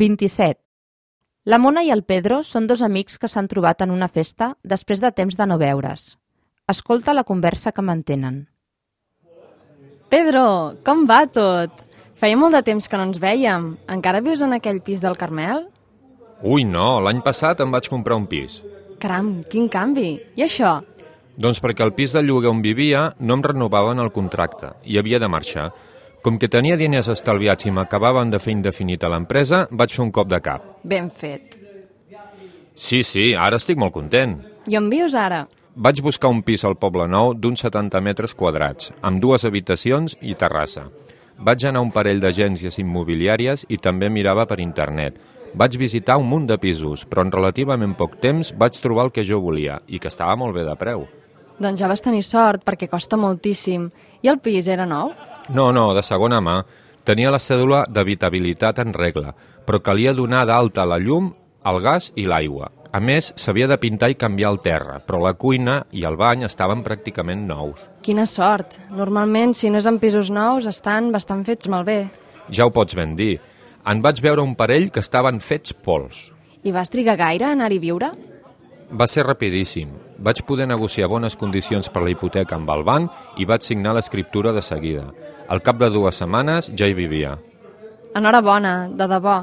27. La Mona i el Pedro són dos amics que s'han trobat en una festa després de temps de no veure's. Escolta la conversa que mantenen. Pedro, com va tot? Feia molt de temps que no ens vèiem. Encara vius en aquell pis del Carmel? Ui, no, l'any passat em vaig comprar un pis. Caram, quin canvi! I això? Doncs perquè el pis de lloguer on vivia no em renovaven el contracte i havia de marxar. Com que tenia diners estalviats i m'acabaven de fer indefinit a l'empresa, vaig fer un cop de cap. Ben fet. Sí, ara estic molt content. I on vius ara? Vaig buscar un pis al Poble Nou d'uns 70 metres quadrats, amb 2 habitacions i terrassa. Vaig anar a un parell d'agències immobiliàries i també mirava per internet. Vaig visitar un munt de pisos, però en relativament poc temps vaig trobar el que jo volia i que estava molt bé de preu. Doncs ja vas tenir sort, perquè costa moltíssim. I el pis era nou? No, de segona mà. Tenia la cèdula d'habitabilitat en regla, però calia donar d'alta la llum, el gas i l'aigua. A més, s'havia de pintar i canviar el terra, però la cuina i el bany estaven pràcticament nous. Quina sort! Normalment, si no és en pisos nous, estan bastant fets malbé. Ja ho pots ben dir. En vaig veure un parell que estaven fets pols. I vas trigar gaire a anar-hi a viure? Va ser rapidíssim. Vaig poder negociar bones condicions per la hipoteca amb el banc i vaig signar l'escriptura de seguida. Al cap de 2 setmanes ja hi vivia. Enhorabona, de debò.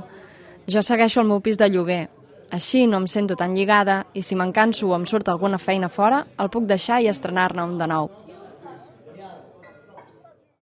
Jo segueixo el meu pis de lloguer. Així no em sento tan lligada i si me'n canso o em surt alguna feina fora, el puc deixar i estrenar-ne un de nou.